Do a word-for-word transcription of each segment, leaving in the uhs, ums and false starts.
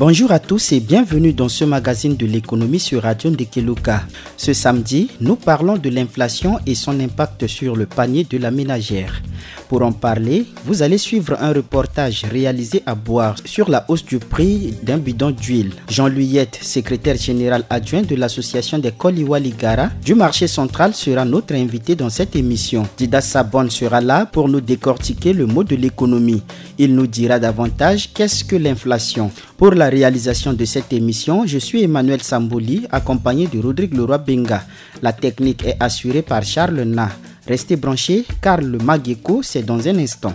Bonjour à tous et bienvenue dans ce magazine de l'économie sur Radio Ndekeluka. Ce samedi, nous parlons de l'inflation et son impact sur le panier de la ménagère. Pour en parler, vous allez suivre un reportage réalisé à Boire sur la hausse du prix d'un bidon d'huile. Jean Luyette, secrétaire général adjoint de l'association des Koliwaligara du marché central, sera notre invité dans cette émission. Dida Sabon sera là pour nous décortiquer le mot de l'économie. Il nous dira davantage qu'est-ce que l'inflation. Pour la réalisation de cette émission, je suis Emmanuel Samboli, accompagné de Rodrigue Leroy Benga. La technique est assurée par Charles Na. Restez branchés, car le Mageko, c'est dans un instant.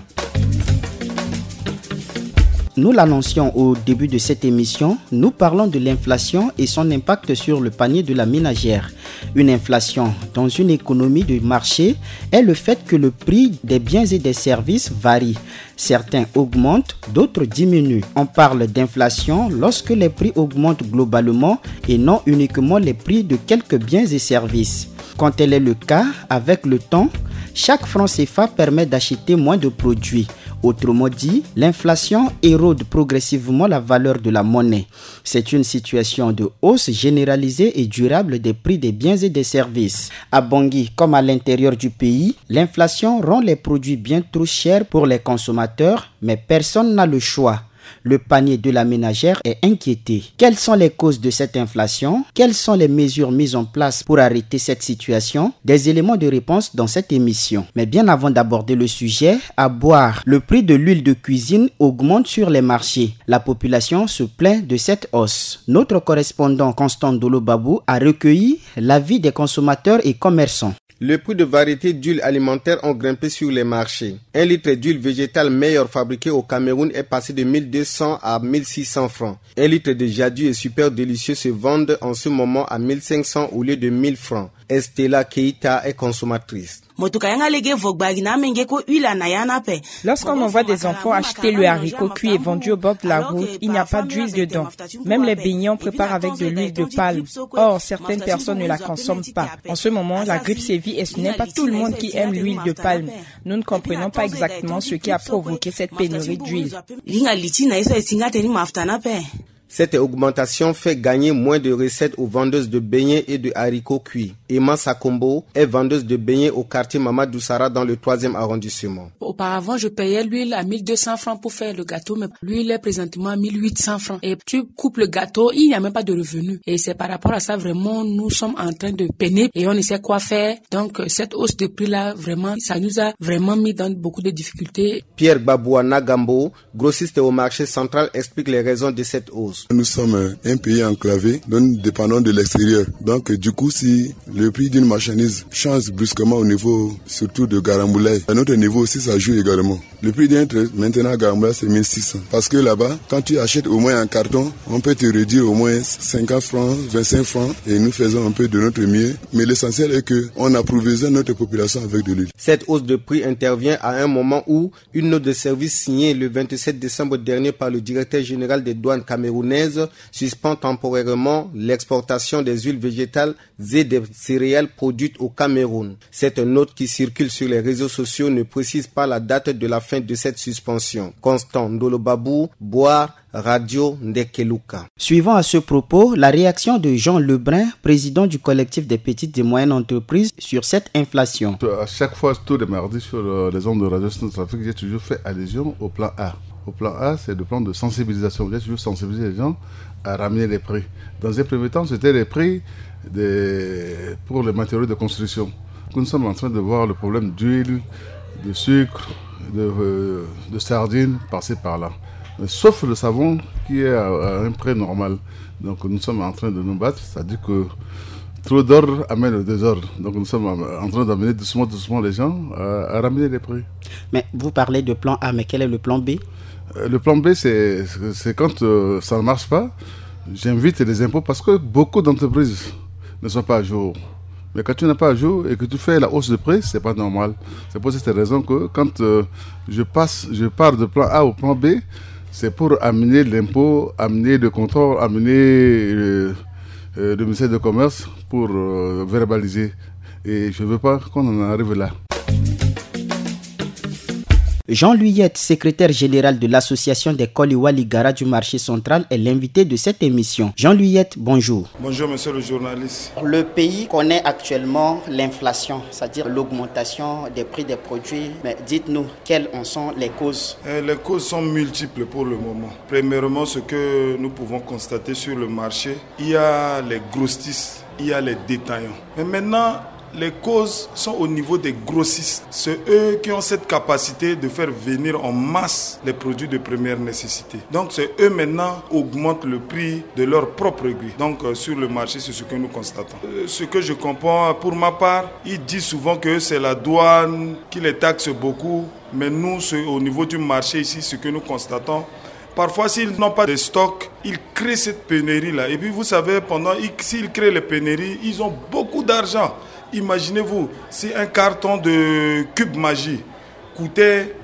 Nous l'annoncions au début de cette émission, nous parlons de l'inflation et son impact sur le panier de la ménagère. Une inflation dans une économie de marché est le fait que le prix des biens et des services varie. Certains augmentent, d'autres diminuent. On parle d'inflation lorsque les prix augmentent globalement et non uniquement les prix de quelques biens et services. Quand tel est le cas, avec le temps, chaque franc C F A permet d'acheter moins de produits. Autrement dit, l'inflation érode progressivement la valeur de la monnaie. C'est une situation de hausse généralisée et durable des prix des biens et des services. À Bangui, comme à l'intérieur du pays, l'inflation rend les produits bien trop chers pour les consommateurs, mais personne n'a le choix. Le panier de la ménagère est inquiété. Quelles sont les causes de cette inflation ? Quelles sont les mesures mises en place pour arrêter cette situation ? Des éléments de réponse dans cette émission. Mais bien avant d'aborder le sujet, à Boire, le prix de l'huile de cuisine augmente sur les marchés. La population se plaint de cette hausse. Notre correspondant Constant Dolo Babou a recueilli l'avis des consommateurs et commerçants. Les prix de variété d'huile alimentaire ont grimpé sur les marchés. Un litre d'huile végétale meilleure fabriquée au Cameroun est passé de mille deux cents à mille six cents francs. Un litre de Jadu et Super Délicieux se vendent en ce moment à mille cinq cents au lieu de mille francs. Estella Keita est consommatrice. Mo tuka yanga lege vo gbagi na amenge ko huile ana yana pe. Lorsqu'on envoie des enfants acheter le haricot cuit et vendu au bord de la route, il n'y a pas d'huile dedans. Même les beignets, on prépare avec de l'huile de palme. Or, certaines personnes ne la consomment pas. En ce moment, la grippe sévit et ce n'est pas tout le monde qui aime l'huile de palme. Nous ne comprenons pas exactement ce qui a provoqué cette pénurie d'huile. Linga liti na ye so e si nga teni mafuta na pe. Cette augmentation fait gagner moins de recettes aux vendeuses de beignets et de haricots cuits. Emma Sakombo est vendeuse de beignets au quartier Mama Doussara dans le troisième arrondissement. Auparavant, je payais l'huile à mille deux cents francs pour faire le gâteau, mais l'huile est présentement à mille huit cents francs. Et tu coupes le gâteau, il n'y a même pas de revenu. Et c'est par rapport à ça, vraiment, nous sommes en train de peiner et on ne sait quoi faire. Donc, euh, cette hausse de prix-là, vraiment, ça nous a vraiment mis dans beaucoup de difficultés. Pierre Gbabua Nagambo, grossiste au marché central, explique les raisons de cette hausse. Nous sommes un pays enclavé, dont nous dépendons de l'extérieur. Donc, du coup, si le prix d'une marchandise change brusquement au niveau, surtout de Garamboulaye, à notre niveau aussi, ça joue également. Le prix d'un trait, maintenant, à Garamboulaye, c'est mille six cents. Parce que là-bas, quand tu achètes au moins un carton, on peut te réduire au moins cinquante francs, vingt-cinq francs, et nous faisons un peu de notre mieux. Mais l'essentiel est que on approvisionne notre population avec de l'huile. Cette hausse de prix intervient à un moment où une note de service signée le vingt-sept décembre dernier par le directeur général des douanes camerounaises suspend temporairement l'exportation des huiles végétales et des céréales produites au Cameroun. Cette note qui circule sur les réseaux sociaux ne précise pas la date de la fin de cette suspension. Constant Ndolo Babou, Boire, Radio Ndekeluka. Suivant à ce propos la réaction de Jean Lebrun, président du collectif des petites et moyennes entreprises, sur cette inflation. À chaque fois, tous les mardis sur, euh, les ondes de Radio Centrafrique, j'ai toujours fait allusion au plan A. Au plan A, c'est le plan de sensibilisation. J'ai toujours sensibilisé les gens à ramener les prix. Dans un premier temps, c'était les prix des, pour les matériaux de construction. Nous sommes en train de voir le problème d'huile, de sucre, de, euh, de sardines, par-ci par-là. Mais sauf le savon qui est à, à un prix normal. Donc nous sommes en train de nous battre, c'est-à-dire que trop d'ordre amène le désordre. Donc nous sommes en train d'amener doucement, doucement les gens à, à ramener les prix. Mais vous parlez de plan A, mais quel est le plan B ? Euh, le plan B, c'est, c'est quand, euh, ça ne marche pas, j'invite les impôts parce que beaucoup d'entreprises ne sont pas à jour. Mais quand tu n'es pas à jour et que tu fais la hausse de prix, c'est pas normal. C'est pour cette raison que quand, euh, je passe, je pars de plan A au plan B, c'est pour amener l'impôt, amener le contrôle, amener, euh, euh, le ministère de Commerce pour, euh, verbaliser. Et je veux pas qu'on en arrive là. Jean-Louis Yette, secrétaire général de l'association des Koli Waligara du marché central, est l'invité de cette émission. Jean-Louis Yette, bonjour. Bonjour, monsieur le journaliste. Le pays connaît actuellement l'inflation, c'est-à-dire l'augmentation des prix des produits. Mais dites-nous, quelles en sont les causes ? Eh, les causes sont multiples pour le moment. Premièrement, ce que nous pouvons constater sur le marché, il y a les grossistes, il y a les détaillants. Mais maintenant, les causes sont au niveau des grossistes. C'est eux qui ont cette capacité de faire venir en masse les produits de première nécessité. Donc, c'est eux maintenant augmentent le prix de leur propre gré. Donc, euh, sur le marché, c'est ce que nous constatons. Euh, ce que je comprends, pour ma part, ils disent souvent que c'est la douane qui les taxe beaucoup. Mais nous, au niveau du marché ici, ce que nous constatons, parfois, s'ils n'ont pas de stock, ils créent cette pénurie-là. Et puis, vous savez, pendant, s'ils créent les pénuries, ils ont beaucoup d'argent. Imaginez-vous, si un carton de Cube Magie coûtait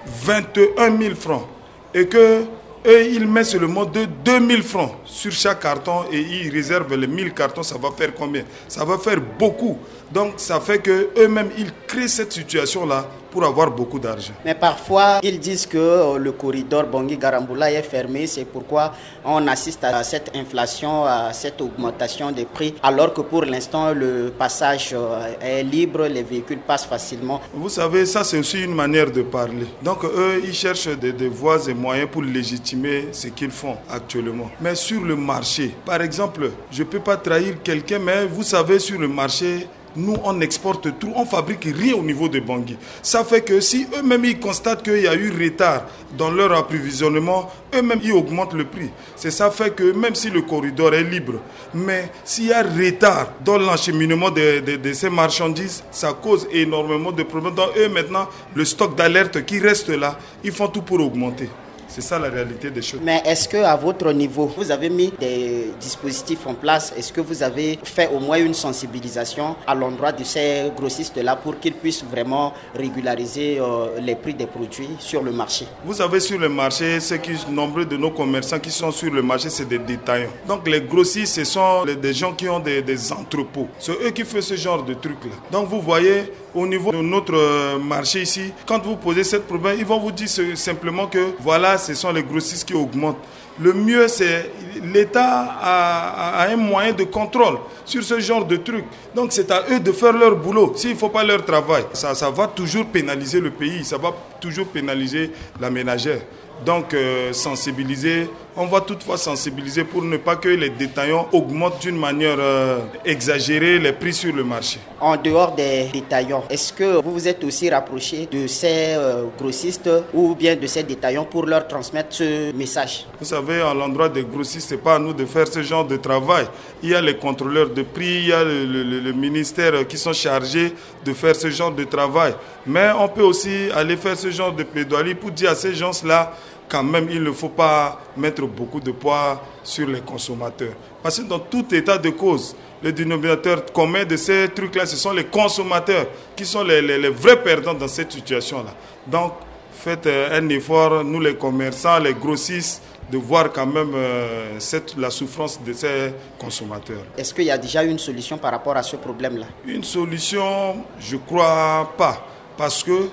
vingt et un mille francs et que eux, ils mettent seulement de deux mille francs sur chaque carton et ils réservent les mille cartons, ça va faire combien ? Ça va faire beaucoup. Donc, ça fait que eux-mêmes, ils créent cette situation-là pour avoir beaucoup d'argent. Mais parfois, ils disent que euh, le corridor Bangui-Garambula est fermé, c'est pourquoi on assiste à cette inflation, à cette augmentation des prix, alors que pour l'instant, le passage euh, est libre, les véhicules passent facilement. Vous savez, ça c'est aussi une manière de parler. Donc eux, ils cherchent des, des voies et moyens pour légitimer ce qu'ils font actuellement. Mais sur le marché, par exemple, je ne peux pas trahir quelqu'un, mais vous savez, sur le marché, nous, on exporte tout, on fabrique rien au niveau de Bangui. Ça fait que si eux-mêmes, ils constatent qu'il y a eu retard dans leur approvisionnement, eux-mêmes, ils augmentent le prix. C'est ça fait que même si le corridor est libre, mais s'il y a retard dans l'acheminement de, de, de ces marchandises, ça cause énormément de problèmes. Donc eux, maintenant, le stock d'alerte qui reste là, ils font tout pour augmenter. C'est ça la réalité des choses. Mais est-ce que, à votre niveau, vous avez mis des dispositifs en place ? Est-ce que vous avez fait au moins une sensibilisation à l'endroit de ces grossistes-là pour qu'ils puissent vraiment régulariser euh, les prix des produits sur le marché ? Vous avez sur le marché, ceux qui, nombreux de nos commerçants qui sont sur le marché, c'est des détaillants. Donc les grossistes, ce sont les, des gens qui ont des, des entrepôts. C'est eux qui font ce genre de truc-là. Donc vous voyez, au niveau de notre euh, marché ici, quand vous posez cette problème, ils vont vous dire simplement que voilà, ce sont les grossistes qui augmentent. Le mieux, c'est l'État a, a, un moyen de contrôle sur ce genre de truc. Donc c'est à eux de faire leur boulot. S'il ne faut pas leur travail, ça, ça va toujours pénaliser le pays, ça va toujours pénaliser la ménagère. Donc euh, sensibiliser, on va toutefois sensibiliser pour ne pas que les détaillants augmentent d'une manière euh, exagérée les prix sur le marché. En dehors des détaillants, est-ce que vous vous êtes aussi rapproché de ces euh, grossistes ou bien de ces détaillants pour leur transmettre ce message ? Vous savez, à l'endroit des grossistes, ce n'est pas à nous de faire ce genre de travail. Il y a les contrôleurs de prix, il y a le, le, le ministère qui sont chargés de faire ce genre de travail. Mais on peut aussi aller faire ce genre de plaidoirie pour dire à ces gens-là, quand même, il ne faut pas mettre beaucoup de poids sur les consommateurs. Parce que dans tout état de cause, le dénominateur commun de ces trucs-là, ce sont les consommateurs qui sont les, les, les vrais perdants dans cette situation-là. Donc, faites euh, un effort, nous les commerçants, les grossistes, de voir quand même euh, cette, la souffrance de ces consommateurs. Est-ce qu'il y a déjà une solution par rapport à ce problème-là ? Une solution, je ne crois pas. Parce que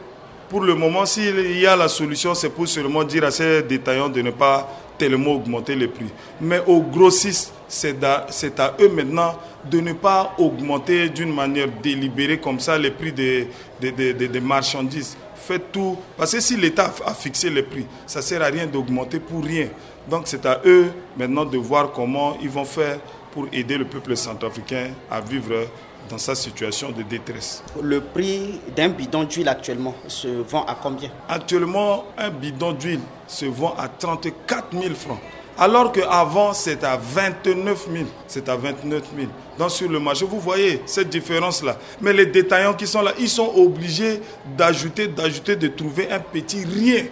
pour le moment, s'il y a la solution, c'est pour seulement dire à ces détaillants de ne pas tellement augmenter les prix. Mais aux grossistes, c'est à, c'est à eux maintenant de ne pas augmenter d'une manière délibérée comme ça les prix des, des, des, des, des marchandises. Faites tout. Parce que si l'État a fixé les prix, ça ne sert à rien d'augmenter pour rien. Donc c'est à eux maintenant de voir comment ils vont faire pour aider le peuple centrafricain à vivre dans sa situation de détresse. Le prix d'un bidon d'huile actuellement se vend à combien ? Actuellement, un bidon d'huile se vend à trente-quatre mille francs. Alors qu'avant, c'est à vingt-neuf mille. C'est à vingt-neuf mille. Donc sur le marché, vous voyez cette différence-là. Mais les détaillants qui sont là, ils sont obligés d'ajouter, d'ajouter, de trouver un petit rien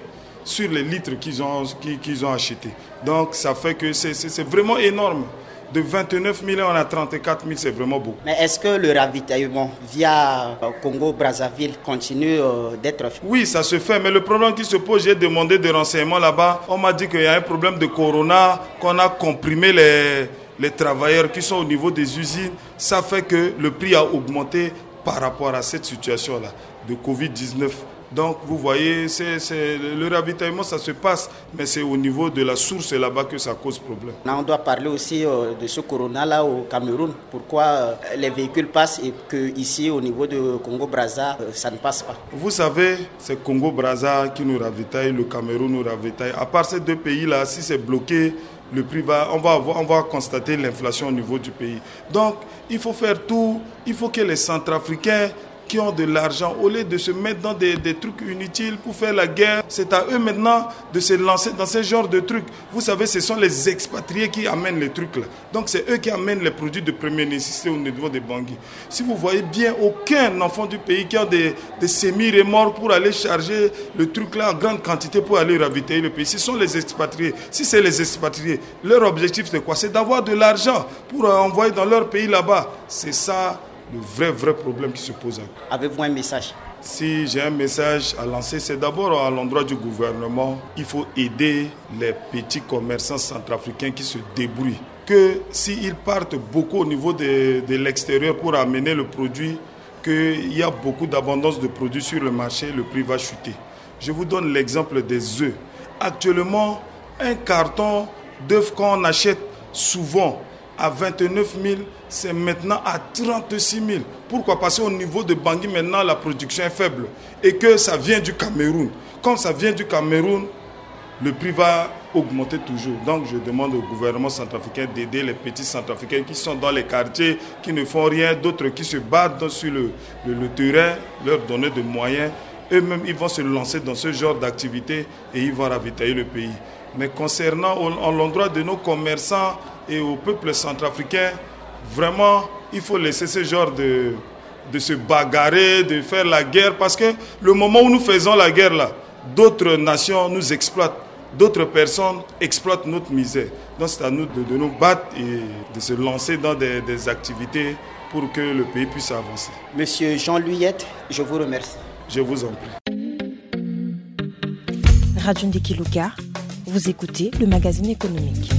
sur les litres qu'ils ont, qu'ils, qu'ils ont achetés. Donc ça fait que c'est, c'est, c'est vraiment énorme. De vingt-neuf mille, on a trente-quatre mille, c'est vraiment beaucoup. Mais est-ce que le ravitaillement via euh, Congo-Brazzaville continue euh, d'être fait ? Oui, ça se fait, mais le problème qui se pose, j'ai demandé des renseignements là-bas. On m'a dit qu'il y a un problème de corona, qu'on a comprimé les, les travailleurs qui sont au niveau des usines. Ça fait que le prix a augmenté par rapport à cette situation-là de covid dix-neuf. Donc, vous voyez, c'est, c'est, le ravitaillement, ça se passe, mais c'est au niveau de la source là-bas que ça cause problème. On doit parler aussi euh, de ce corona-là au Cameroun. Pourquoi euh, les véhicules passent et que ici, au niveau de Congo-Brazza, euh, ça ne passe pas? Vous savez, c'est Congo-Brazza qui nous ravitaille, le Cameroun nous ravitaille. À part ces deux pays-là, si c'est bloqué, le prix va, on va, avoir, on va constater l'inflation au niveau du pays. Donc, il faut faire tout, il faut que les Centrafricains qui ont de l'argent, au lieu de se mettre dans des, des trucs inutiles pour faire la guerre, c'est à eux maintenant de se lancer dans ce genre de trucs. Vous savez, ce sont les expatriés qui amènent les trucs là. Donc c'est eux qui amènent les produits de première nécessité au niveau de Bangui. Si vous voyez bien, aucun enfant du pays qui a des, des semi-remorques pour aller charger le truc là en grande quantité pour aller ravitailler le pays. Ce sont les expatriés. Si c'est les expatriés, leur objectif c'est quoi? C'est d'avoir de l'argent pour envoyer dans leur pays là-bas. C'est ça le vrai, vrai problème qui se pose. Avez-vous un message? Si j'ai un message à lancer, c'est d'abord à l'endroit du gouvernement. Il faut aider les petits commerçants centrafricains qui se débrouillent. Que s'ils partent beaucoup au niveau de, de l'extérieur pour amener le produit, qu'il y a beaucoup d'abondance de produits sur le marché, le prix va chuter. Je vous donne l'exemple des œufs. Actuellement, un carton d'œufs qu'on achète souvent à vingt-neuf mille, c'est maintenant à trente-six mille. Pourquoi? Parce qu'au niveau de Bangui, maintenant, la production est faible et que ça vient du Cameroun. Comme ça vient du Cameroun, le prix va augmenter toujours. Donc, je demande au gouvernement centrafricain d'aider les petits centrafricains qui sont dans les quartiers, qui ne font rien, d'autres qui se battent sur le, le, le terrain, leur donner des moyens. Eux-mêmes, ils vont se lancer dans ce genre d'activité et ils vont ravitailler le pays. Mais concernant au, en l'endroit de nos commerçants et au peuple centrafricain, vraiment, il faut laisser ce genre de, de se bagarrer, de faire la guerre, parce que le moment où nous faisons la guerre là, d'autres nations nous exploitent, d'autres personnes exploitent notre misère. Donc c'est à nous de, de nous battre et de se lancer dans des, des activités pour que le pays puisse avancer. Monsieur Jean Luyette, je vous remercie. Je vous en prie. Radio Ndeki Luka, vous écoutez le magazine économique.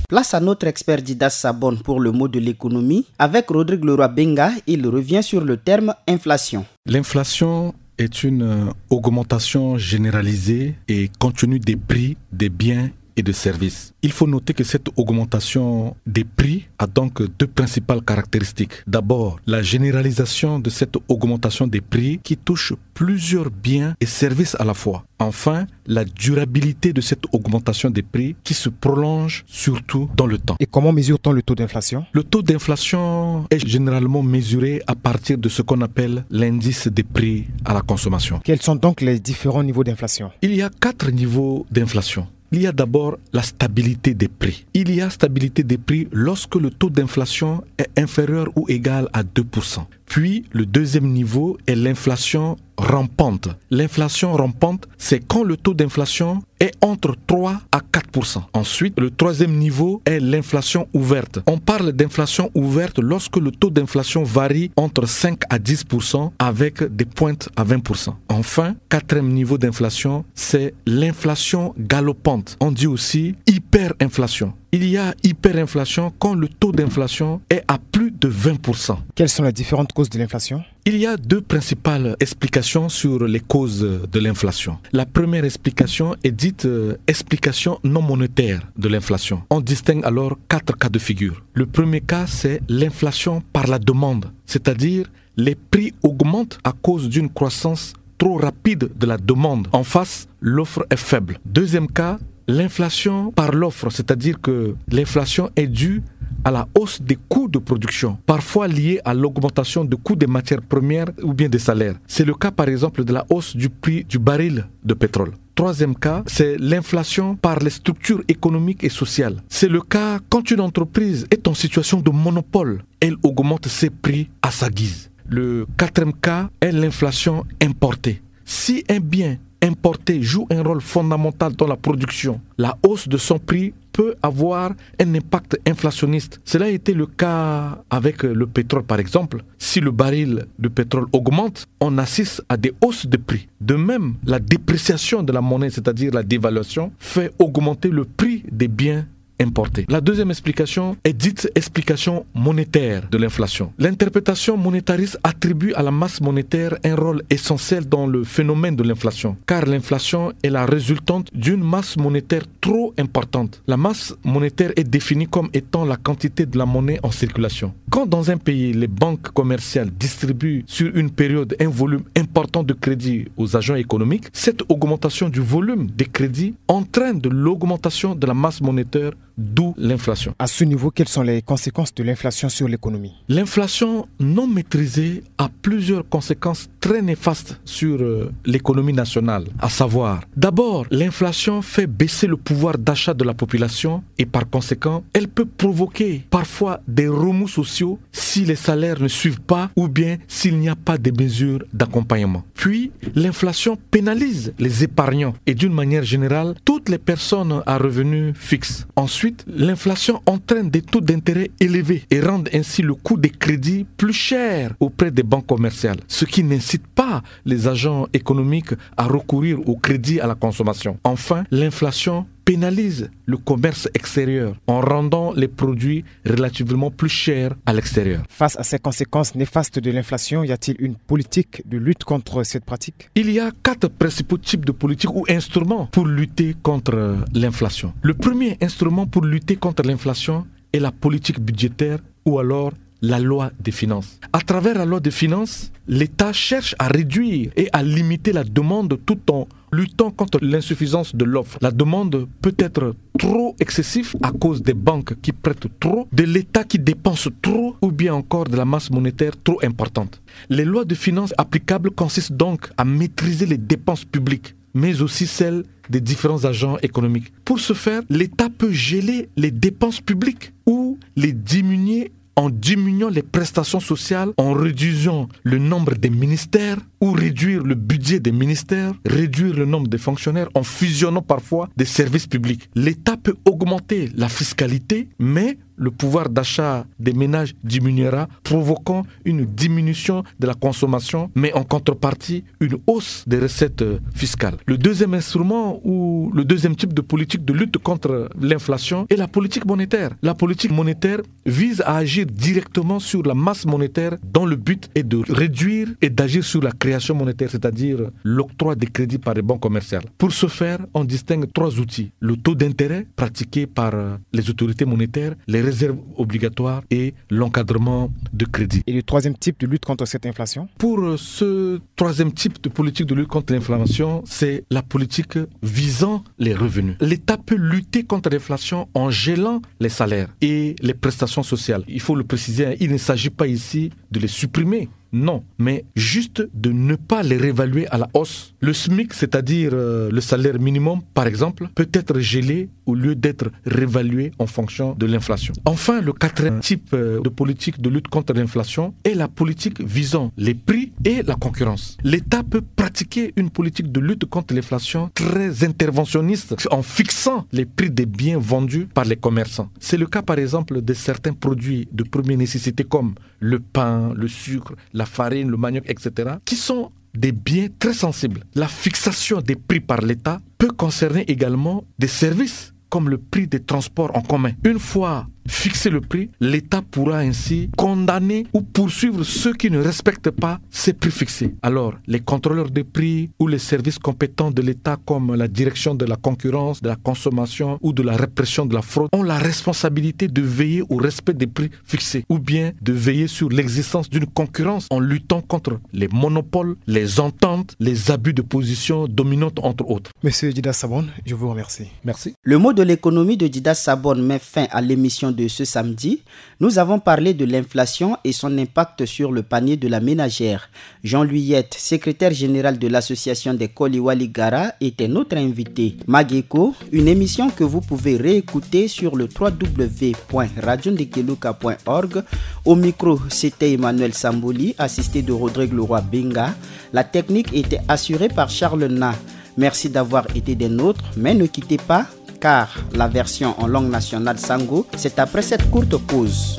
Place à notre expert Didas Sabon pour le mot de l'économie. Avec Rodrigue Leroy Benga, il revient sur le terme inflation. L'inflation est une euh, augmentation généralisée et continue des prix des biens et de services. Il faut noter que cette augmentation des prix a donc deux principales caractéristiques. D'abord, la généralisation de cette augmentation des prix qui touche plusieurs biens et services à la fois. Enfin, la durabilité de cette augmentation des prix qui se prolonge surtout dans le temps. Et comment mesure-t-on le taux d'inflation ? Le taux d'inflation est généralement mesuré à partir de ce qu'on appelle l'indice des prix à la consommation. Quels sont donc les différents niveaux d'inflation ? Il y a quatre niveaux d'inflation. Il y a d'abord la stabilité des prix. Il y a stabilité des prix lorsque le taux d'inflation est inférieur ou égal à deux pour cent. Puis, le deuxième niveau est l'inflation rampante. L'inflation rampante, c'est quand le taux d'inflation est entre trois à quatre pour cent. Ensuite, le troisième niveau est l'inflation ouverte. On parle d'inflation ouverte lorsque le taux d'inflation varie entre cinq à dix pour cent avec des pointes à vingt pour cent. Enfin, quatrième niveau d'inflation, c'est l'inflation galopante. On dit aussi hyperinflation. Il y a hyperinflation quand le taux d'inflation est à plus de vingt pour cent. Quelles sont les différentes causes de l'inflation ? Il y a deux principales explications sur les causes de l'inflation. La première explication est dite euh, explication non monétaire de l'inflation. On distingue alors quatre cas de figure. Le premier cas, c'est l'inflation par la demande, c'est-à-dire les prix augmentent à cause d'une croissance trop rapide de la demande. En face, l'offre est faible. Deuxième cas, l'inflation par l'offre, c'est-à-dire que l'inflation est due à la hausse des coûts de production, parfois liée à l'augmentation du coût des matières premières ou bien des salaires. C'est le cas par exemple de la hausse du prix du baril de pétrole. Troisième cas, c'est l'inflation par les structures économiques et sociales. C'est le cas quand une entreprise est en situation de monopole, elle augmente ses prix à sa guise. Le quatrième cas est l'inflation importée. Si un bien importé joue un rôle fondamental dans la production, la hausse de son prix peut avoir un impact inflationniste. Cela a été le cas avec le pétrole, par exemple. Si le baril de pétrole augmente, on assiste à des hausses de prix. De même, la dépréciation de la monnaie, c'est-à-dire la dévaluation, fait augmenter le prix des biens importées. La deuxième explication est dite explication monétaire de l'inflation. L'interprétation monétariste attribue à la masse monétaire un rôle essentiel dans le phénomène de l'inflation, car l'inflation est la résultante d'une masse monétaire trop importante. La masse monétaire est définie comme étant la quantité de la monnaie en circulation. Quand dans un pays, les banques commerciales distribuent sur une période un volume important de crédits aux agents économiques, cette augmentation du volume des crédits entraîne de l'augmentation de la masse monétaire, d'où l'inflation. À ce niveau, quelles sont les conséquences de l'inflation sur l'économie ? L'inflation non maîtrisée a plusieurs conséquences très néfastes sur, euh, l'économie nationale, à savoir, d'abord, l'inflation fait baisser le pouvoir d'achat de la population et par conséquent, elle peut provoquer parfois des remous sociaux si les salaires ne suivent pas ou bien s'il n'y a pas de mesures d'accompagnement. Puis, l'inflation pénalise les épargnants et d'une manière générale, toutes les personnes à revenus fixes. Ensuite, l'inflation entraîne des taux d'intérêt élevés et rend ainsi le coût des crédits plus cher auprès des banques commerciales, ce qui n'incite pas les agents économiques à recourir au crédit à la consommation. Enfin, l'inflation pénalise le commerce extérieur en rendant les produits relativement plus chers à l'extérieur. Face à ces conséquences néfastes de l'inflation, y a-t-il une politique de lutte contre cette pratique ? Il y a quatre principaux types de politiques ou instruments pour lutter contre l'inflation. Le premier instrument pour lutter contre l'inflation est la politique budgétaire ou alors la loi des finances. À travers la loi des finances, l'État cherche à réduire et à limiter la demande tout en luttant contre l'insuffisance de l'offre. La demande peut être trop excessive à cause des banques qui prêtent trop, de l'État qui dépense trop ou bien encore de la masse monétaire trop importante. Les lois de finances applicables consistent donc à maîtriser les dépenses publiques, mais aussi celles des différents agents économiques. Pour ce faire, l'État peut geler les dépenses publiques ou les diminuer en diminuant les prestations sociales, en réduisant le nombre des ministères ou réduire le budget des ministères, réduire le nombre des fonctionnaires en fusionnant parfois des services publics. L'État peut augmenter la fiscalité, mais le pouvoir d'achat des ménages diminuera, provoquant une diminution de la consommation, mais en contrepartie, une hausse des recettes, euh, fiscales. Le deuxième instrument ou le deuxième type de politique de lutte contre l'inflation est la politique monétaire. La politique monétaire vise à agir directement sur la masse monétaire dont le but est de réduire et d'agir sur la création monétaire, c'est-à-dire l'octroi des crédits par les banques commerciales. Pour ce faire, on distingue trois outils. Le taux d'intérêt pratiqué par, euh, les autorités monétaires, les réserves obligatoires et l'encadrement de crédit. Et le troisième type de lutte contre cette inflation ? Pour, euh, ce troisième type de politique de lutte contre l'inflation, c'est la politique visant les revenus. L'État peut lutter contre l'inflation en gelant les salaires et les prestations sociales. Il faut le préciser, hein, il ne s'agit pas ici de les supprimer. Non, mais juste de ne pas les réévaluer à la hausse. Le smic, c'est-à-dire, euh, le salaire minimum, par exemple, peut être gelé au lieu d'être réévalué en fonction de l'inflation. Enfin, le quatrième type, euh, de politique de lutte contre l'inflation est la politique visant les prix et la concurrence. L'État peut pratiquer une politique de lutte contre l'inflation très interventionniste en fixant les prix des biens vendus par les commerçants. C'est le cas, par exemple, de certains produits de première nécessité comme le pain, le sucre, la farine, le manioc, et cetera, qui sont des biens très sensibles. La fixation des prix par l'État peut concerner également des services comme le prix des transports en commun. Une fois fixé le prix, l'État pourra ainsi condamner ou poursuivre ceux qui ne respectent pas ces prix fixés. Alors, les contrôleurs de prix ou les services compétents de l'État comme la direction de la concurrence, de la consommation ou de la répression de la fraude ont la responsabilité de veiller au respect des prix fixés ou bien de veiller sur l'existence d'une concurrence en luttant contre les monopoles, les ententes, les abus de position dominante, entre autres. Monsieur Dida Sabon, je vous remercie. Merci. Le mot de l'économie de Dida Sabon met fin à l'émission de ce samedi. Nous avons parlé de l'inflation et son impact sur le panier de la ménagère. Jean-Louis Yette, secrétaire général de l'association des Koli Waligara, était notre invité. Mageko, une émission que vous pouvez réécouter sur le trois W point radio ndekeluka point org. Au micro, c'était Emmanuel Samboli, assisté de Rodrigue Leroy Benga. La technique était assurée par Charles Na. Merci d'avoir été des nôtres, mais ne quittez pas, car la version en langue nationale Sango, c'est après cette courte pause.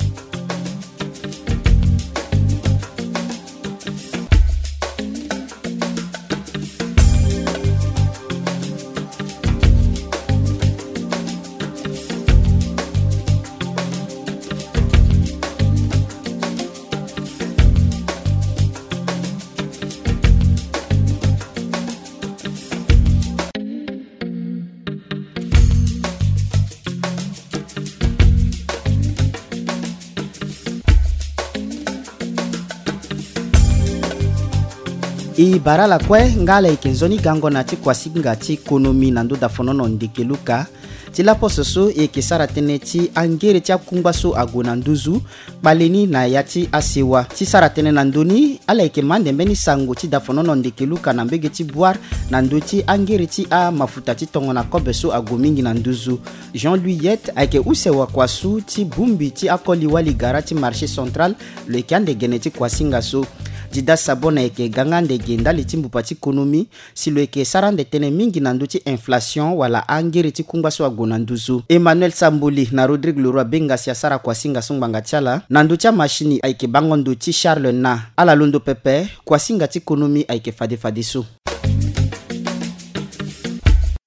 E bara ala kue nga ala yeke nzoni gango na ti kuasinga ti konomi na ndö dafonono ndeke luka. Ti laposo so e yeke sara tënë ti angere ti akungba so ague na nduzu kpale ni na ya ti asewa ti sara tënë na ndö ni. Ala yeke ma nde mbeni sango ti dafonono ndeke luka na mbege ti Bouar na ndö ti angere ti amafuta ti tongana kobe so ague mingi na nduzu. Jean Louis Yet ayeke use wakua su ti bongbi ti akoli wali gara ti marché central. Lo yeke ande gene ti kuasinga so. Dida Sabon ayeke ga nga ande ge ndali ti mbupa ti konomi. Si lo yeke sara ande tënë mingi na ndö ti inflation wala angere ti kungba so ague na nduzu. Emmanuel Samboli na Rodrigue Leroy Benga si asara kuasinga so ngbanga ti ala. Na ndö ti amashini ayeke bango ndo ti Charles Na. Ala londo pepe, kuasinga ti konomi ayeke fade fadeso.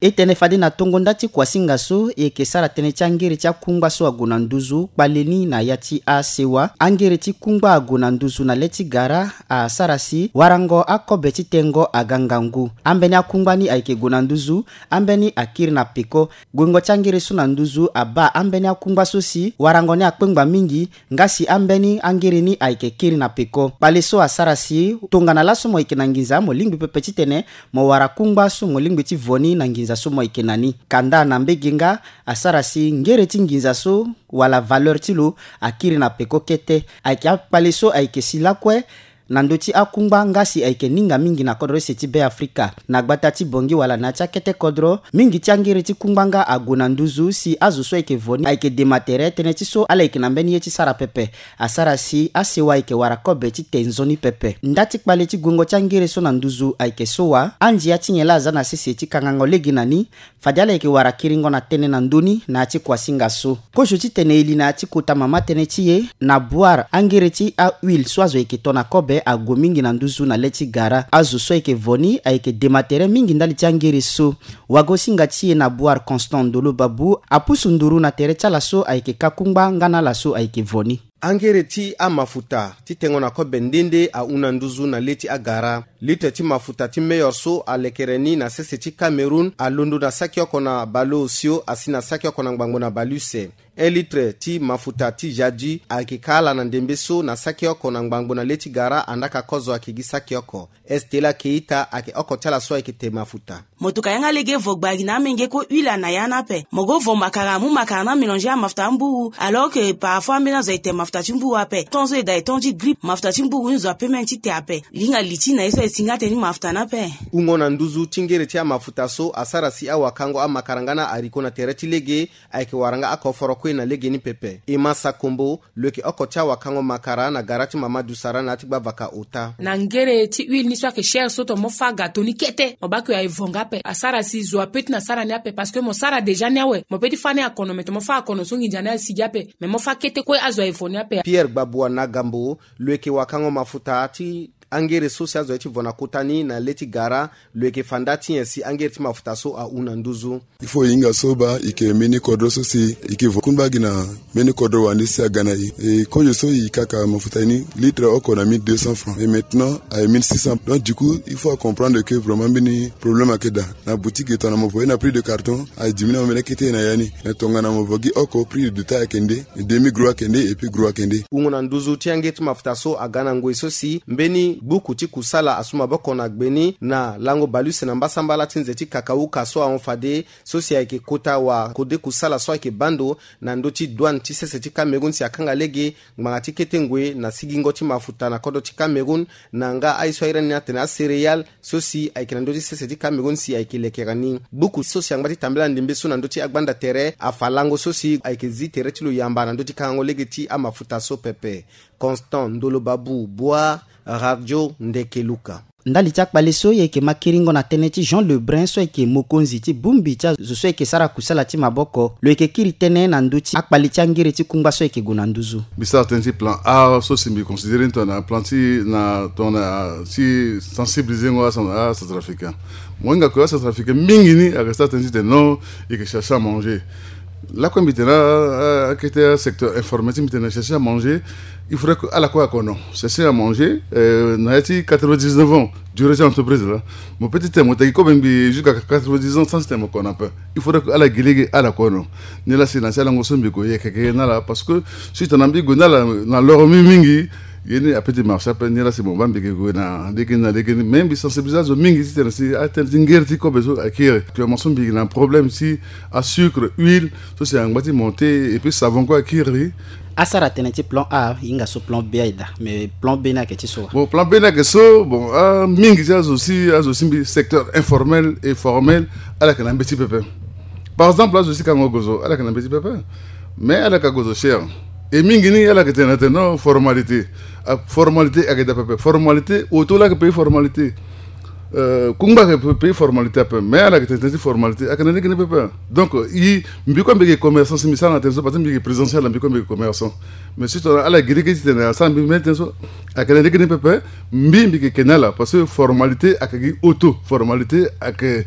E tene fade na tongo nda ti kuasinga so e yeke sara tënë ti angere ti akungba so ague na nduzu kpale ni na ya ti asewa. Angere ti kungba ague na nduzu na le ti gara asara si warango akobe ti tengo aga ngangu. Ambeni akungba ni ayeke gue na nduzu, ambeni akiri na peko. Guengo ti angere so na nduzu abaa ambeni akungba so si warango ni akpengba mingi, nga si ambeni angere ni ayeke kiri na peko. Kpale so asara si tongana laso mo yeke na nginza mo lingbi pepe titene mo wara kungba so mo lingbi ti vo ni na nginza so mo yeke na ni. Kanda na mbege nga asara si ngere ti nginza so wala valeur ti lo akiri na peko kete. Ayeke akpale so ayeke si lakue na ndö ti akungba nga si ayeke ninga mingi na kodro ese ti Be Afrika. Na gbata ti Bangui wala na ya ti akete kodro, mingi ti angere ti kungba nga ague na nduzu si azo so ayeke vo ni ayeke dema tere tënë ti so ala yeke na mbeni ye ti sara pepe. Asara si asewa ayeke wara kobe ti te nzoni pepe. Nda ti kpale ti guengo ti angere so na nduzu ayeke so wa, andia ti nyen laa aza na sese ti kangango lege na ni, fade ala yeke wara kiringo na tënë na ndö ni na ya ti kuasinga so. Kozo titene e li na ya ti kota mama tënë ti e, na Bouar angere ti ahuile so azo yeke to na kobe ague mingi na nduzu na le ti gara. Azo so ayeke vo ni ayeke dema tere mingi ndali ti angere so. Wagosinga ti e na Bouar Constant Ndolo Babou apusu nduru na tere ti ala so ayeke ka kungba nga na ala so ayeke vo ni. Angere ti amafuta ti tengo na kobe nde nde ahun na nduzu na le ti agara. Litre ti mafuta ti meilleur so alekere ni na sese ti Cameroun alondo na saki oko na baleosio asi na saki oko na ngbangbo na baleuse. Un litre ti mafuta ti Jaddu ayeke ka ala na ndembe so na saki oko na ngbangbo na le ti gara, andaa ka kozo ayeke gi saki oko. Estela Keita ayeke oko ti ala so ayeke te mafuta. Mo tuka yanga lege vo gbagi na amenge ko huile ana ya ni ape. Mo go vo makara, amu makara ni amélanger amafuta amburu, alors que parfois ambeni azo aye te mafuta ti mburu ape. Ton so e daa e ton ti grippe, mafuta ti mburu ni zo ape même ti te ape. Linga li ti na ye so aye si nga tënë ti mafuta ni ape. Hungo na nduzu ti ngere ti amafuta so asara si awakango amakara nga na haricot na tere ti lege ayeke wara nga oko foro kue na legeni pepe. Emma Sakombo, lo yeke oko ti awakango makara na gara ti Mamadou Sara na ya ti gbavaka ota. Na ngere ti huile ni so ayeke cher so, tongana mo fâ gâteau ni kete, mo baa ke aye vo nga ape. Asara si zo ape ti na sara ni ape, parce que mo sara déjà ni awe. Mo peut ti fâ ni akono, mais tongana mo fâ akono so nginza ni asigi ape. Mais mo fâ kete kue azo aye vo ni ape. Pierre Gbabua Nagambo, lo yeke wakango mafuta ti angere so si azo aye ti vo na kota ni na le ti gara, lo yeke fa nda ti nyen si angere ti mafuta so ahun na nduzu. Il faut e hinga so baa e yeke mbeni kodro so si e yeke vo kungba gi na mbeni kodro wande si aga na e. E kozo so e kaka mafuta ni, litre oko na mille deux cents francs. Et maintenant, aye mille six cents. Donc du coup, il faut comprendre que vraiment mbeni problème ayeke daa. Na boutique e tongana mo vo ye na prix de carton, aye diminuer ambeni akete na ya ni. Mais tongana mo vo gi oko, prix de détail ayeke nde, demi gros ayeke nde, et puis gros ayeke nde. Hungo na nduzu ti angere ti mafuta so aga na ngoi so si mbeni gbuku ti kusala asu maboko na gbe ni na lango baleuse na mbasambala ti nze ti kakauka so ahon fade, so si ayeke kota wakode kusala so ayeke baa ndo na ndö ti douane ti sese ti Cameroun si akanga lege ngbanga ti kete ngoi na sigingo ti mafuta na kodro ti Cameroun, na nga aye so airi ni atene acéréales, so si ayeke na ndö ti sese ti Cameroun si ayeke lekere ni. Gbuku so si angba ti tambela ndembe so na ndö ti agbanda tere afa lango so si ayeke zi tere ti lo yamba na ndö ti kangango lege ti amafuta so pepe. Constant Ndolo Babou, Bouar, Radio Ndeke Luka. Ndali ti akpale so, e yeke ma kiringo na tënë ti Jean Lebrun so ayeke mokonzi ti bongbi ti azo so ayeke sara kusala ti maboko. Lo yeke kiri tënë na ndö ti akpale ti angere ti kungba so ayeke gue na nduzu. Mbi sara tënë ti plan A so si mbi considéré ni tongana plan ti na tongana ti sensibiliser ngo aCentrafricain. Mo hinga ke aCentrafricain mingi ni ayeke sara tënë ti tene non, e yeke chercher à manger. Lakue mbi tene akete asecteur informel ti mbi tene chercher à manger. Il faudrait que ala kue akono chercher à manger, euh, na ya ti quatre-vingt-dix-neuf ans durée ti entreprise la. Mo peut ti tene mo tagi kobe ngbii jusqu'à quatre-vingt-dix ans sans ti tene mo kono ape. Il faudrait que ala gi lege ala kono. Ni la si na ti alango so mbi gue yeke ke na ala, parce que si tongana mbi gue na ala na loro mingi mingi, Ye ni ape ti marché ape ni la si mo baa mbi yeke gue na lege ni na lege ni. Mais mbi sensibiliser azo mingi titene si atënë ti ngere ti kobe so akiri. Actuellement so mbi yeke na problème ti asucre, huile, so si angba ti monté, et puis savon kue akiri. Asara tënë ti plan A, hinga so plan B aye daa. Mais plan B ni ayeke ti so wa? Bon, plan B ni ayeke so, bon, ah, mingi ti azo si, azo si mbi secteur informel et formel, ala yeke na mbeti pepe. Par exemple, azo si kango gozo, ala yeke na mbeti pepe. Mais ala yeke gozo cher. Et mingi ni ala yeke tene na tene non, formalité. Ah, formalité ayeke daa pepe. Formalité, auto la ayeke payer formalité. Euh, kungba ayeke payer formalité ape. Mais ala yeke tene ti formalité ayeke na lege ni pepe. Donc, i, mbi kue mbi yeke commerçant, si mbi sara na tene so, parce que mbi yeke présentiel, mbi kue mbi yeke commerçant. Mais surtout ala gi lege titene asara mbi même tënë so ayeke na lege ni pepe. Mbi mbi yeke ke na ala parce que formalité ayeke gi auto, formalité ayeke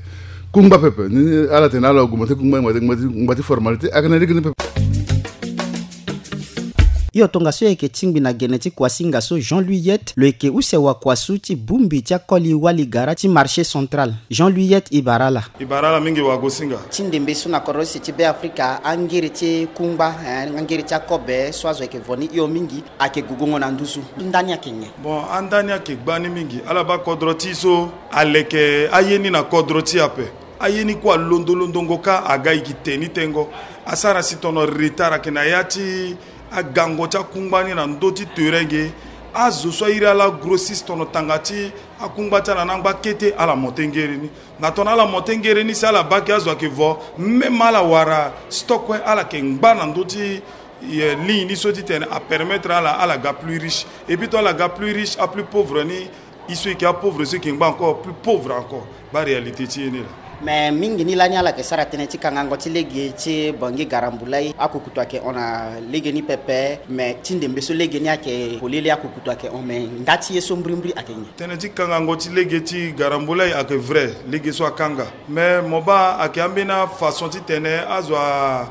kungba pepe. Ni ala tene ala augmenter kungba, ngba ti, ngba ti, ngba ti formalité ayeke na lege ni pepe. Hio tongaso e yeke tingbi na gene ti kuasinga so Jean Louis Yet, lo yeke use wakuasu ti bongbi ti akoli wali gara ti marché central. Jean Louis Yet, e bara ala. E bara ala mingi wagosinga. Ti ndembe so na kodro use ti Beafrika, angere ti kungba, eh, angere ti akobe so azo ayeke vo ni hio mingi, ayeke gugungo na nduzu. Ndani ayeke nyen? Bon, andani ayeke gbani mingi. Ala baa kodro ti e so aleke aye ni na kodro ti e ape. Aye ni kue alondo londongo kâ aga e yeke te ni tengo. Asara si tono retard ayeke na ya ti agango ti akungba ni na ndö ti terrain ge. Azo so airi ala grossiste tono tanga ti akungba ti ala na angba kete, ala monté ngere ni. Na tono ala monté ngere ni si ala baa ke azo ayeke vo, même ala wara stock kue ala yeke ngba na ndö ti, eh, ligne ni so titene apermettre ala, ala ga plus riche. Et puis to ala ga plus riche, aplus pauvre ni, e so e yeke apauvre so e yeke ngba encore plus pauvre encore. Baa réalité ti e ni laa. Mais mingi ni lani ala yeke sara tënë ti kangango ti lege ti Bangui Garambulai, akukutu ayeke hon na lege ni pepe. Mais ti ndembe so lege ni ayeke polele, akukutu ayeke hon, mais nda ti ye so mbrimbri ayeke nyen? Tënë ti kangango ti lege ti Garambulai ayeke vrai, lege so akanga. Mais mo baa ayeke ambeni afaçon titene azo a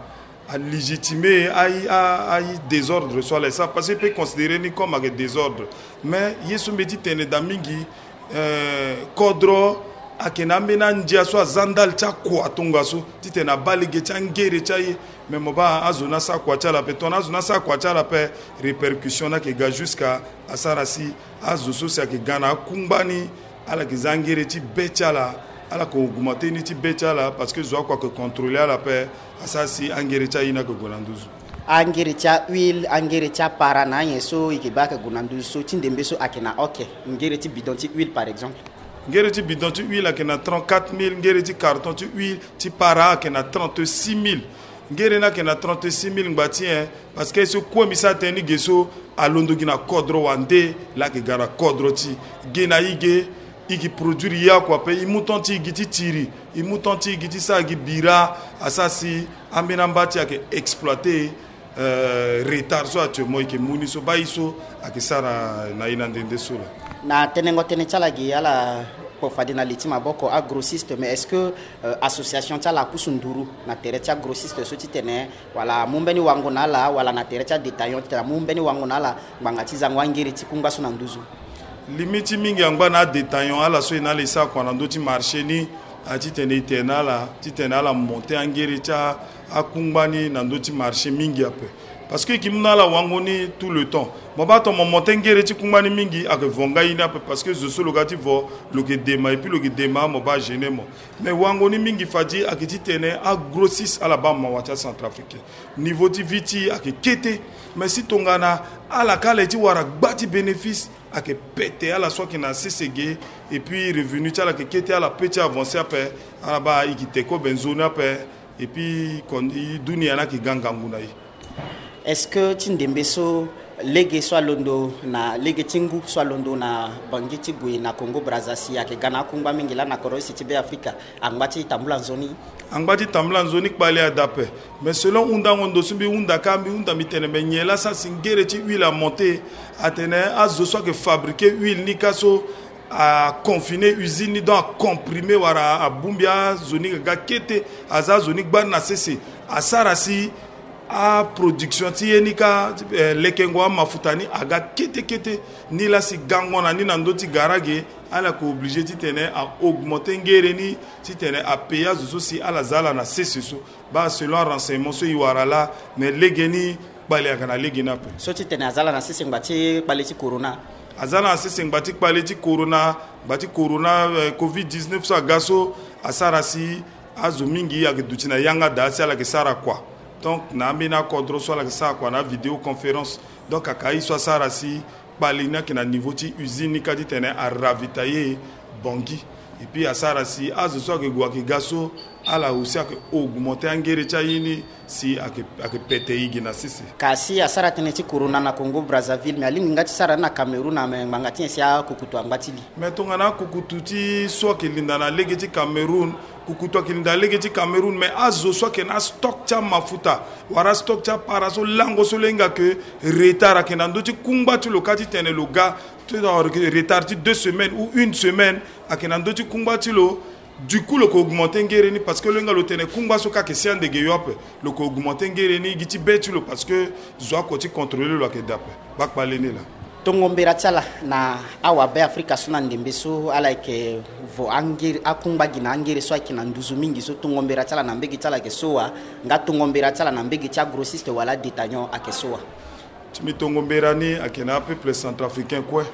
alégitimer aye, a, aye désordre so ala e sara, parce que e peut considérer ni comme ayeke désordre. Mais ye so mbi ye ti tene daa mingi, eh, kodro ayeke na ambeni andia so aza ndali ti akua tongaso titene abaa lege ti angere ti aye. Mais mo baa azo ni asara kua ti ala ape, tongana azo ni asara kua ti ala ape, répercussion ni ayeke ga jusqu'à asara si azo so si ayeke ga na akungba ni, ala yeke za angere ti be ti ala, ala yeke augmenter ni ti be ti ala, parce que zo akua ayeke contrôler ala ape, asara si angere ti aye ni ayeke gue na nduzu. Angere ti ahuile, angere ti apara na anyen so e yeke baa ayeke gue na nduzu so ti ndembe so ayeke na oke? Ngere ti bidon ti huile par exemple. Ngere ti bidon ti huile ayeke na trente-quatre mille, ngere ti carton ti huile ti para ayeke na trente-six mille. Ngere ni ayeke na trente-six mille ngba ti nyen? Parce que so kue mbi sara tënë ni ge so, alondo gi na kodro wande, laa ayeke ga na kodro ti e. Ge na e ge, e yeke produire ye akua ape, e mu temps ti e gi ti tiri, e mu temps ti e gi ti sara gi bira, asara si ambeni amba ti e ayeke exploiter, euh, retard so actuellement e yeke mu ni so, baa e so ayeke sara na e na nde nde so laa. Na tenengo tënë ti ala ge, ala kpo fade na li ti maboko agrossiste, mais est-ce que, euh, association ti ala apusu nduru na tere ti agrossiste so titene wala amu mbeni wango na ala, wala na tere ti adétaillant titene amu mbeni wango na ala ngbanga ti zango angere ti kungba so na nduzu? Limite ti mingi angba na adétaillant, ala so e na ala e sara kua na ndö ti marché ni, a titene e tene na ala titene ala monter angere ti a, akungba ni na ndö ti marché mingi ape. Parce que e yeke mu na ala wango ni tout le temps. Mo baa tongana mo monter ngere ti kungba ni mingi, ayeke vo nga ye ni ape, parce que zo so lo ga ti vo, lo yeke dema, et puis lo yeke dema, mo baa agêner mo. Mais wango ni mingi fade ayeke titene agrossiste ala baa mawa ti acentrafricain. Niveau ti vie ti e ayeke kete. Mais si tongana ala kâ ala ye ti wara gba ti bénéfice, ayeke pete ala so ayeke na sese ge. Et puis revenu ti ala ayeke kete, ala peut ti avancer ape. Ala baa e yeke te kobe nzoni ape. Et puis kon, e dunia ni ayeke ga ngangu na e. Est-ce que ti ndembe so lege so alondo na lege ti ngu so alondo na Bangui ti gue na Congo Brazza si ayeke ga na akungba mingi laa na kodro use ti Beafrika, angba ti tambula nzoni? Angba ti tambula nzoni kpale ada ape. Mais selon hundango ndo so mbi hunda kâ, mbi hunda mbi tene me nyen laa sara si ngere ti huile amonter? Atene azo so ayeke fabriquer huile ni kâ so, a confiner usine ni, donc a comprimer wala abongbi azo ni ga kete, aza azo ni gbani na sese, asara si aproduction ti ye ni kâ, eh, lekengo amafuta ni aga kete kete. Ni laa si gango na ni na ndö ti gara ge, ala yeke obligé titene a augmenter ngere ni titene a payer azo so si ala za ala na sese so. Baa selon arenseignement so e wara laa, mais lege ni Kpale ayaka na lege ni ape. So ti tene aza la na sese ngba ti kpale ti corona. Aza la na sese ngba ti kpale ti corona, ngba ti corona, eh, covid dix-neuf so aga so, asara si azo mingi ayeke duti na yanga daa si ala yeke sara kua. Donc na ambeni akodro so ala yeke sara kua na vidéoconférence. Donc aka ye so asara si kpale ni ayeke na niveau ti usine ni kâ ti tene aravitailler Bangui. Et puis asara si azo so ayeke gue ayeke ga so, ala aussi ayeke augmenter angere ti aye ni si ayeke, ayeke pete e gi na sese. Kasi asara tënë ti corona na Congo Brazzaville, me alingbi nga ti sara ni na Cameroun, ame ngbanga ti nyen si akukutu angba ti li? Me tongana akukutu ti so ayeke linda na lege ti Cameroun, kukutu ayeke linda na lege ti Cameroun, me azo so ayeke na astock ti amafuta wala astock ti apara so lango so lo hinga ke retard ayeke na ndö ti kungba ti lo kâ ti tene lo ga. Ti lo retard ti deux semaines ou une semaine ayeke na ndö ti kungba ti lo. Du coup lo yeke augmenter ngere ni parce que lo hinga lo tene kungba so kâ ayeke si andege yo ape. Lo yeke augmenter ngere ni gi ti be ti lo parce que zo oko ti contrôler lo ayeke daa ape. Baa kpale ni laa. Tongo mbera ti ala na awabe Afrika so na ndembe so ala yeke vo angere, akungba gi na angere so ayeke na nduzu mingi so, tongo mbera ti ala na mbege ti ala ayeke so wa? Nga tongo mbera ti ala na mbege ti agrossiste wala adétaillant ayeke so wa? Ti mbi tongo mbera ni ayeke na apeuple centrafricain kue.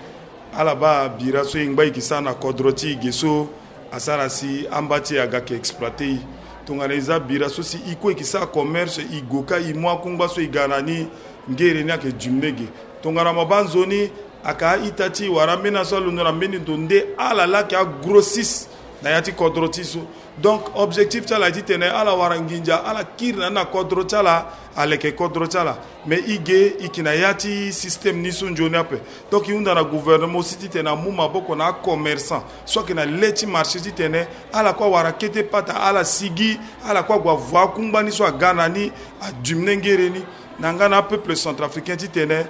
Ala baa bira so e ngba e yeke sara na kodro ti e ge so, asara si amba ti e aga yeke exploiter e. Tongana e za bira so si e kue e yeke sara commerce, e gue kâ e mu akungba so e ga na ni, ngere ni ayeke diminuer ge. Tongana mo baa nzoni, ayeke a-ita ti e wala ambeni aso alondo na mbeni ndo nde ala laa ayeke agrossiste na ya ti kodro ti e so. Donc objectif ti ala aye ti tene ala wara nginza, ala kiri na ni na kodro ti ala, aleke kodro ti ala. Mais e ge e yeke na ya ti système ni so nzoni ape. Donc e hunda na gouvernement aussi ti tene amu maboko na acommerçant so ayeke na le ti marché ti tene ala kue awara kete pata, ala sigi, ala kue ague avo akungba ni so aga na ni, adiminuer ngere ni. Na nga na apeuple centrafricain ti tene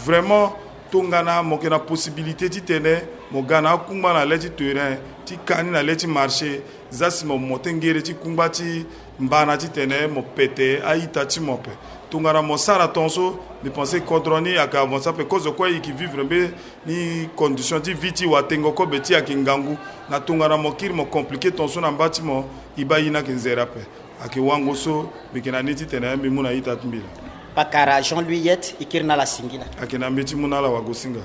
vraiment, tongana mo yeke na possibilité ti tene mo ga na akungba na le ti terrain, ti ka ni na le ti marché, za si mo monter ngere ti kungba ti mbana ti tene mo pete a-ita ti mo ape. Tongana mo sara tongaso, mbi pense kodro ni ayeke avancer ape. Kozo kue e yeke vivre mbeni condition ti vie ti e, watengo kobe ti e ayeke ngangu. Na tongana mo kiri mo compliquer tongaso na mba ti mo, e baa e ni ayeke nzere ape. Ayeke wango so mbi yeke na ni ti tene mbi mu na ita ti mbi laa. Pakara Jean Louis Yet, e kiri na ala singila. Ayeke na mbi ti mu na ala wagosinga.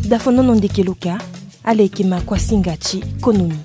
Dafonono ndeke lo ka, ala yeke ma kuasinga ti konomi.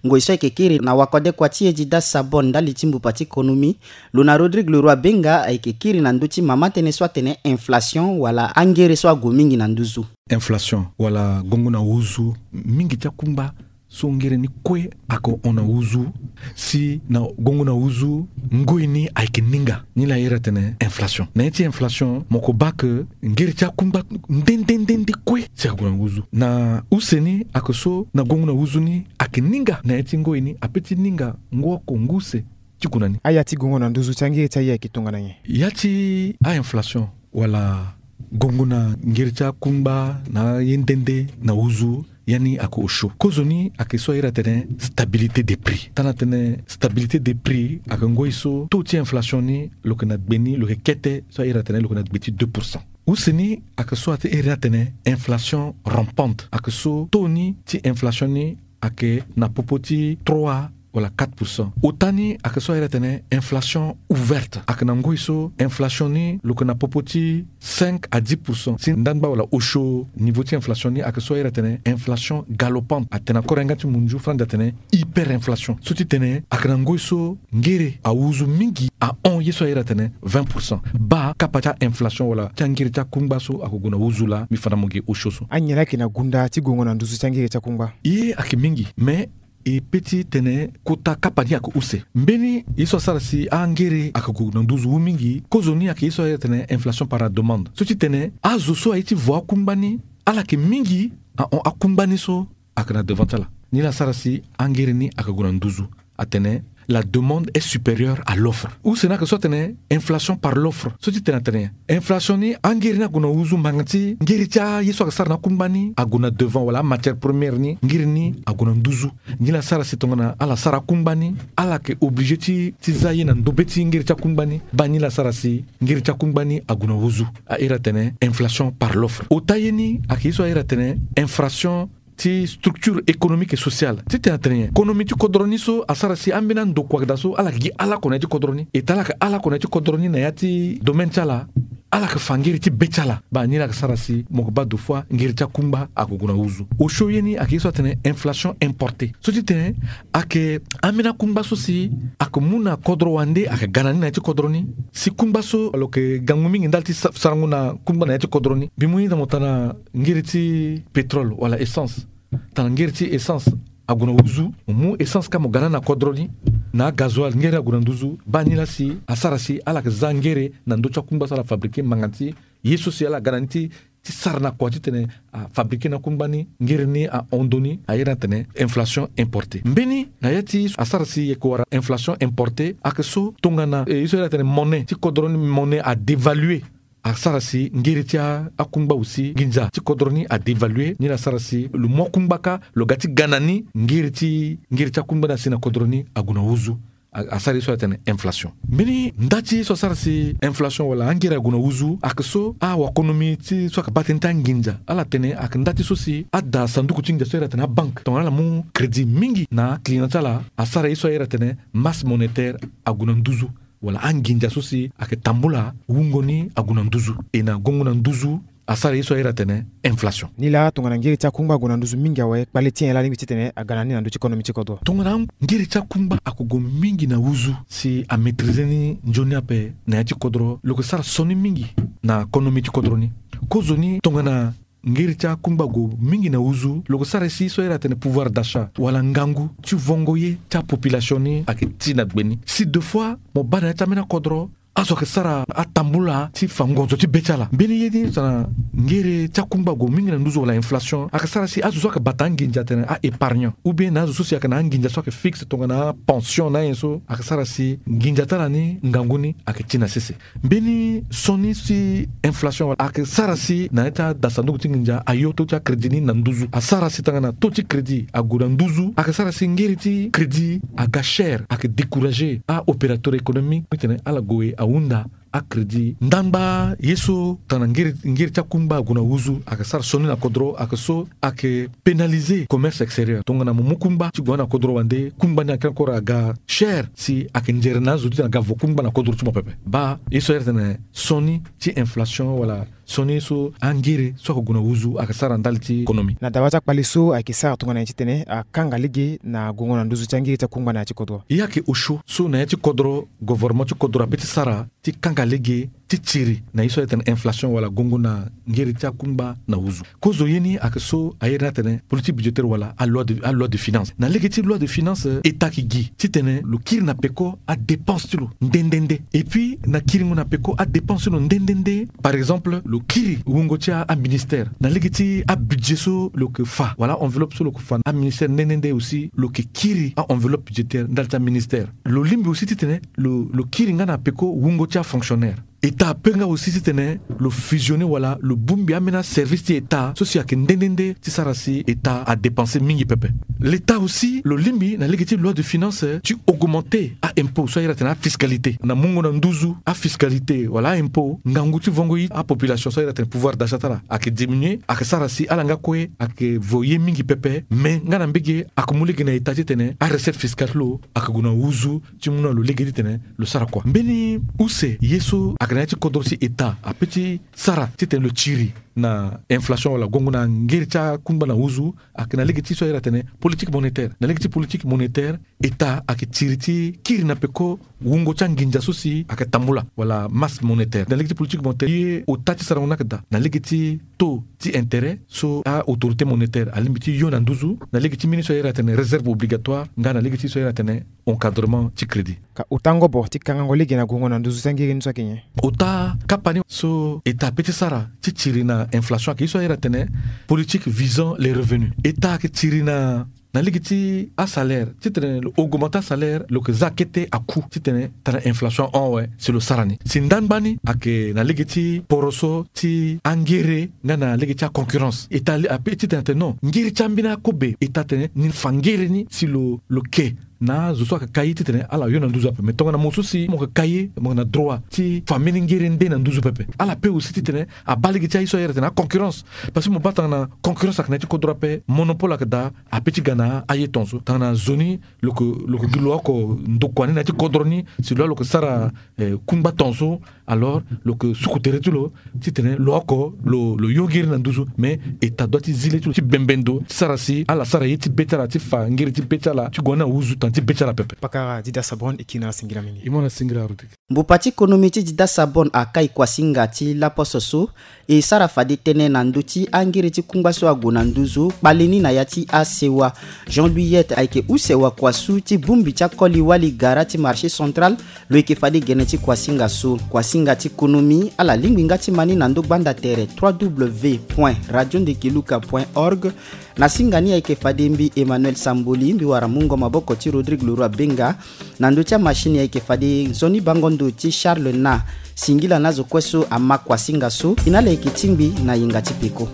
Ngoi so ayeke kiri na wakode kua ti e Dida Sabon ndali ti mbupa ti konomi, lo na Rodrigue Leroy Benga ayeke kiri na ndö ti mama tënë so atene inflation wala angere so ague mingi na nduzu. Inflation wala gongo na huzu, mingi ti akungba so ngere ni kue ayeke hon na huzu, si na gongo na huzu ngoi ni ayeke ninga, ni laa e iri atene inflation. Na ya ti inflation mo ko baa ke ngere ti akungba nde nde nde nde kue si ague na huzu. Na use ni ayeke so na gongo na huzu ni ayeke ninga na ya ti ngoi ni ape ti ninga ngu oko ngu use ti gue na ni. Aya ti gongo na nduzu ti angere ti aye ayeke tongana nyen? Ya ti a-inflation wala gongo na ngere ti akungba na aye nde nde na huzu, ya ni ayeke osio. Kozoni ayeke so a iri atene stabilité des prix. Tana tene stabilité des prix ayeke ngoi so taux ti inflation ni lo yeke na gbe ni, lo yeke kete so a iri atene lo yeke na gbe ti deux pour cent. Use ni ayeke so a ti iri ni atene inflation rampante, ayeke so taux ni ti inflation ni ayeke na popo ti trois wala quatre pour cent. Ota ni ayeke so a iri atene inflation ouverte, ayeke na ngoi so inflation ni lo yeke na popo ti cinq à dix pour cent. Si ndangba wala osio niveau ti inflation ni ayeke so a iri atene inflation galopante, atene na kore yanga ti munzu franzi atene hyperinflation. So ti tene ayeke na ngoi so ngere ahuzu mingi ahon ye so a iri atene vingt pour cent. Baa kapa ti a-inflation wala ti angere ti akungba so ayeke gue na huzu laa, mbi fa na mo ge osio so. Anyen laa ayeke na gunda ti gongo na nduzu ti angere ti akungba? Ye ayeke mingi, mais e pe ti tene kota kapa ni ayeke use. Mbeni ye so asara si angere ayeke gue na nduzu huu mingi, kozoni ayeke ye so a iri atene inflation par la demande. So ti tene azo so aye ti vo akungba ni, ala yeke mingi ahon akungba ni so ayeke na devant ti ala. Ni laa asara si angere ni ayeke gue na nduzu. Atene la demande est supérieure à l'offre. Use ni ayeke so atene inflation par l'offre. So ti tene atene inflation ni, angere ni ague na huzu ngbanga ti ngere ti aye so ayeke sara na akungba ni ague na devant, wala amatière première ni, ngere ni ague na nduzu. Ni laa asara si tongana ala sara akungba ni, ala yeke obligé ti, ti za ye na ndobe ti ngere ti akungba ni. Baa ni laa asara si ngere ti akungba ni ague na huzu. A iri atene inflation par l'offre. Ota ye ni ayeke ye so a iri atene inflation ti structure économique et sociale titene atene nyen? Konomi ti kodro ni so asara si ambeni andokua daa so ala yeke gi ala oko na ya ti kodro ni. Eta ala yeke ala oko na ya ti kodro ni na ya ti domaine ti ala. Ala yeke fa ngere ti be ti ala. Baa ni la yeke sara si mo yeke baa deux fois ngere ti akungba ayeke gue na nduzu. Osio ye ni ayeke ye so atene inflation importée so titene ayeke ambeni akungba so si ayeke mu na kodro wande ayeke ga na ni na ya ti kodro ni. Si kungba so lo yeke gangu mingi ndali ti sa- sarango na kungba na ya ti kodro ni. Mbi mu ni daa mo tara na ngere ti pétrole wala essence. Tara na ngere ti essence ague na nduzu. Mo mu essence ka mo ga na ni na kodro ni. Na agazoil ngere ague na nduzu. Baa ni la si asara si ala yeke za ngere na ndö ti akungba so ala fabriqué manga ti ye so si ala ga na ni ti ti sara na kua titene afabriqué na kungba ni ngere ni ahon ndö ni. Ayere ni atene inflation importée. Mbeni na ya ti asara si e yeke wara inflation importée ayeke so tongana eh, ye so ayere atene monnaie ti kodro ni monnaie adévalué. Asara si ngere ti a- akungba aussi nginza ti kodro ni adévalué ni la asara si lo mu akungba ka lo ga ti ga na ni ngere ti ngere ti akungba ni asi na kodro ni ague na nduzu. A- asara ye so atene inflation. Mbeni nda ti ye so asara si inflation wala angere ague na nduzu ayeke so awakonomi ti so ayeke baa tënë ti anginza ala tene ayeke nda ti so si ada sanduku ti nginza so ayere atene abanke tongana ala mu crédit mingi na aclient ti ala asara ye so ayere atene masse monétaire ague na nduzu. Wala anginza so si ayeke tambula wungo ni ague na nduzu. E na gongo na nduzu asara ye so ayere atene inflation. Ni la tongana ngere ti akungba ague na nduzu mingi awe kpale ti nyen la lingbi titene aga na ni na ndö ti konomi ti kodro? Tongana ngere ti akungba ayeke gue mingi na nduzu si amaîtrisé ni nzoni ape na ya ti kodro lo yeke sara sioni mingi na konomi ti kodro ni. Kozoni tongana ngere ti akungba ague mingi na nduzu lo yeke sara si so ayere atene pouvoir d'achat wala ngangu ti vongo ye ti apopulation ni ayeke ti na gbe ni. Si deux fois mo baa na ya ti ambeni akodro azo ayeke sara atambula ti fa ngonzo ti be ti ala. Mbeni ye ni tongana ngere ti akungba ague mingi na nduzu wala inflation ayeke sara si azo so ayeke bata anginza atene a-épargnant ou bien na azo so si ayeke na anginza so ayeke fixe tongana apension na anyen so ayeke sara si nginza ti ala ni ngangu ni ayeke ti na sese. Mbeni sioni ti inflation ayeke sara si na ya ti ada sanduku ti nginza ayo taux ti acrédit ni na nduzu asara si tongana taux ti crédit ague na nduzu ayeke sara si ngere ti crédit aga cher ayeke découragé aopérateur économique titene ala gue ahunda acrédit ndangba ye so tongana ngere ngere ti akungba ague na nduzu ayeke sara sioni na kodro ayeke so ayeke pénalisé commerce extérieur tongana mo mu kungba ti gue na kodro wande kungba ni ayeke encore aga cher si ayeke nzere na azo titene aga vo kungba na kodro ti mo pepe. Baa ye so ayere tene sioni ti inflation wala sioni so angere so ayeke gue na nduzu ayeke sara ndali ti konomi. Na dawa ti akpale so ayeke sara tongana nyen titene akanga lege na gongo na nduzu ti angere ti akungba na ya ti kodro? Ye ayeke osio so na ya ti kodro gouvernement ti kodro ape ti sara ti kanga lege ti tiri na ye so ayere tene inflation wala gongo na ngere ti akungba na nduzu. Kozo ye ni ayeke so ayere ni atene politique budgétaire wala aloi de, aloi de finance. Na lege ti loi de finance état ayeke gi titene lo kiri na peko adépense ti lo nde nde nde. Et puis na kiringo na peko adépense ti lo nde nde nde par exemple lo kiri wungo ti aministère na lege ti abudget so lo yeke fa wala aenveloppe so lo yeke fa aministère nde nde nde aussi lo yeke kiri aenveloppe budgétaire ndali ti aministère. Lo lingbi aussi titene lo lo kiri nga na peko wungo ti afonctionnaire. État ape nga aussi titene lo fusionné wala lo bongbi ambeni aservice ti état so si ayeke nde nde nde ti sara si état adépense mingi pepe. L'état aussi lo lingbi na lege ti loi de finance ti augmenté aimpôt so ayere atene afiscalité na mungo na nduzu afiscalité wala aimpôt ngangu ti vongo ye apopulation so ayere atene pouvoir d'achat ti ala ayeke diminué ayeke sara si ala nga kue ayeke vo ye mingi pepe mais nga na mbege ayeke mu lege na état titene arecette fiscale ti lo ayeke gue na nduzu ti mu na lo lege titene lo sara kua. Mbeni use ye so ayeke na ya ti kodro si état ape ti sara titene lo tiri na inflation wala gongo na ngere ti akungba na nduzu ayeke na lege ti so ayere atene politique monétaire. Na lege ti politique monétaire état ayeke tiri ti kiri na peko wungo ti anginza so si ayeke tambula wala masse monétaire. Na lege ti politique monétaire ye ota ti sarango ni ayeke daa na lege ti taux ti intérêt so aautorité monétaire alingbi ti yo na nduzu na lege ti mbeni so ayere atene réserve obligatoire nga na lege ti so ayere atene encadrement ti crédit. Ka ota ngobo ti kangango lege na gongo na nduzu ti angere ni so ayeke nyen? Ota kapa ni so état ape ti sara ti tiri na inflation ayeke ye so ayere atene politique visant les revenus. État ayeke tiri na na lege ti asalaire titene lo augmente asalaire lo yeke za akete aku titene tara inflation ahon awe si lo sara ni. Si ndangba ni ayeke na lege ti poroso ti angere nga na lege ti aconcurrence état ape titene atene non ngere ti ambeni akobe état atene ni fa ngere ni si lo lo ke na azo so ayeke kai ye titene ala yo na nduzu ape. Mais tongana mo so si mo yeke kai ye, mo yeke na droit ti fa mbeni ngere nde na nduzu pepe. Ala pe aussi titene abaa lege ti aye so ayere titene aconcurrence. Parce que mo baa tongana concurrence ayeke na ya ti kodro ape, monopole ayeke daa ape ti ga na aye tongaso. Tongana zo ni lo yeke, lo yeke gi lo oko ndokua ni na ya ti kodro ni, si lo lo yeke sara eh, kungba tongaso, alors lo yeke suku tere ti lo titene lo oko lo, lo yo ngiri na nduzu. Mais État doit ti zi le ti lo ti bembe ndo ti sara si ala sara ye ti be ti ala, ti fa ngiri ti be ti ala ti gue na ahuzu tanga ti be ti ala pepe. Pakara Dida Sabon e kiri na ala singila mingi. E mu na ala singila Rodrigue. Mbupa ti konomi ti Dida Sabon akai kuasinga ti laposo so e sara fade tënë na ndö ti angiri ti kungba so ague na nduzu kpale ni na ya ti asewa. Jean Louis Yet ayeke use wakua su ti bongbi ti akoli wali gara ti marché central. Lo yeke fade gene ti kuasinga so. Kuasinga ti konomi ala lingbi nga ti ma ni na ndö gbanda tere trois w point radio ndekiluka point org. Na singa ni ayeke fade mbi Emmanuel Samboli, mbi wara mungo maboko ti Rodrigue Leroy Benga. Na ndö ti amachine ayeke fade nzoni bango ndo ti Charles Na. Singila na azo kue so ama kuasinga so. E na ala yeke tingbi na yenga ti peko.